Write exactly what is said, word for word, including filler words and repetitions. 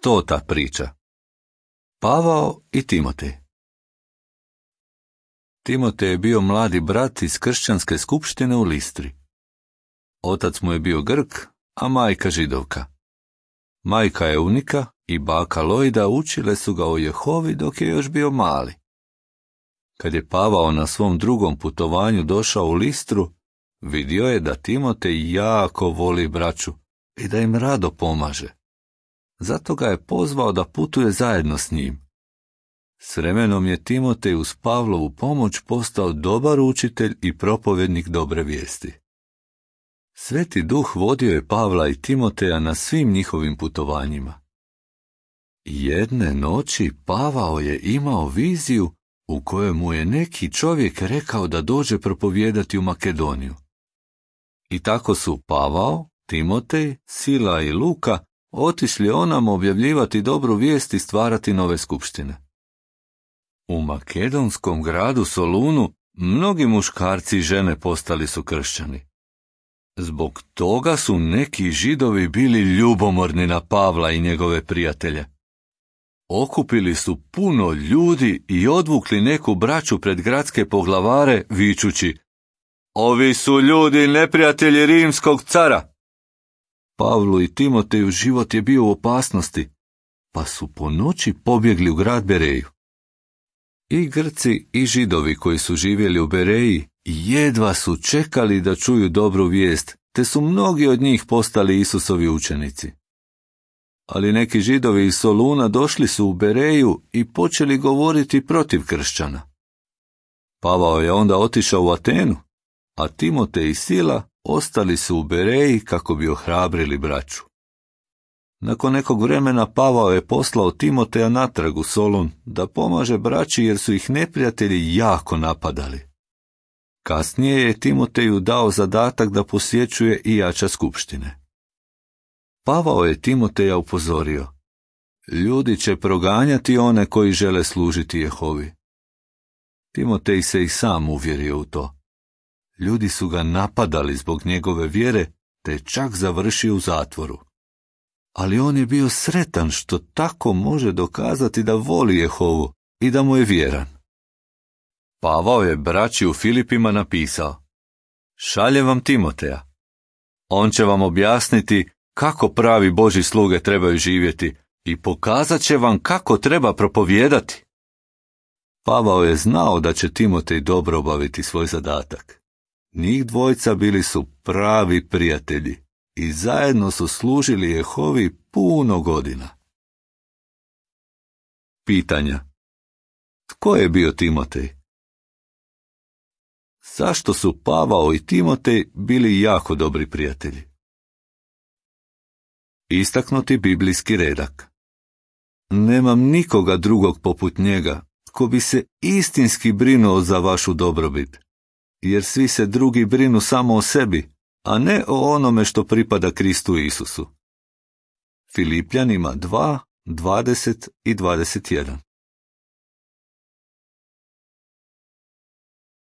Stota priča. Pavao i Timotej. Timotej je bio mladi brat iz kršćanske skupštine u Listri. Otac mu je bio Grk, a majka Židovka. Majka Eunika i baka Lojda učile su ga o Jehovi dok je još bio mali. Kad je Pavao na svom drugom putovanju došao u Listru, vidio je da Timotej jako voli braću i da im rado pomaže. Zato ga je pozvao da putuje zajedno s njim. S vremenom je Timotej uz Pavlovu pomoć postao dobar učitelj i propovjednik dobre vijesti. Sveti Duh vodio je Pavla i Timoteja na svim njihovim putovanjima. Jedne noći Pavao je imao viziju u kojoj mu je neki čovjek rekao da dođe propovijedati u Makedoniju. I tako su Pavao, Timotej, Sila i Luka otišli onam objavljivati dobru vijest i stvarati nove skupštine. U makedonskom gradu Solunu mnogi muškarci i žene postali su kršćani. Zbog toga su neki Židovi bili ljubomorni na Pavla i njegove prijatelje. Okupili su puno ljudi i odvukli neku braću pred gradske poglavare, vičući: "Ovi su ljudi neprijatelji rimskog cara!" Pavlu i Timoteju život je bio u opasnosti, pa su po noći pobjegli u grad Bereju. I Grci i Židovi koji su živjeli u Bereji jedva su čekali da čuju dobru vijest, te su mnogi od njih postali Isusovi učenici. Ali neki Židovi iz Soluna došli su u Bereju i počeli govoriti protiv kršćana. Pavao je onda otišao u Atenu, a Timotej i Sila ostali su u Bereji kako bi ohrabrili braću. Nakon nekog vremena Pavao je poslao Timoteja natrag u Solun da pomaže braći jer su ih neprijatelji jako napadali. Kasnije je Timoteju dao zadatak da posjećuje i jača skupštine. Pavao je Timoteja upozorio: "Ljudi će proganjati one koji žele služiti Jehovi." Timotej se i sam uvjerio u to. Ljudi su ga napadali zbog njegove vjere, te je čak završio u zatvoru. Ali on je bio sretan što tako može dokazati da voli Jehovu i da mu je vjeran. Pavao je braći u Filipima napisao: "Šaljem vam Timoteja. On će vam objasniti kako pravi Božji sluge trebaju živjeti i pokazat će vam kako treba propovijedati." Pavao je znao da će Timotej dobro obaviti svoj zadatak. Njih dvojica bili su pravi prijatelji i zajedno su služili Jehovi puno godina. Pitanja. Tko je bio Timotej? Zašto su Pavao i Timotej bili jako dobri prijatelji? Istaknuti biblijski redak. Nemam nikoga drugog poput njega tko bi se istinski brinuo za vašu dobrobit, jer svi se drugi brinu samo o sebi, a ne o onome što pripada Kristu Isusu. Filipljanima dva, dvadeset i dvadeset jedan.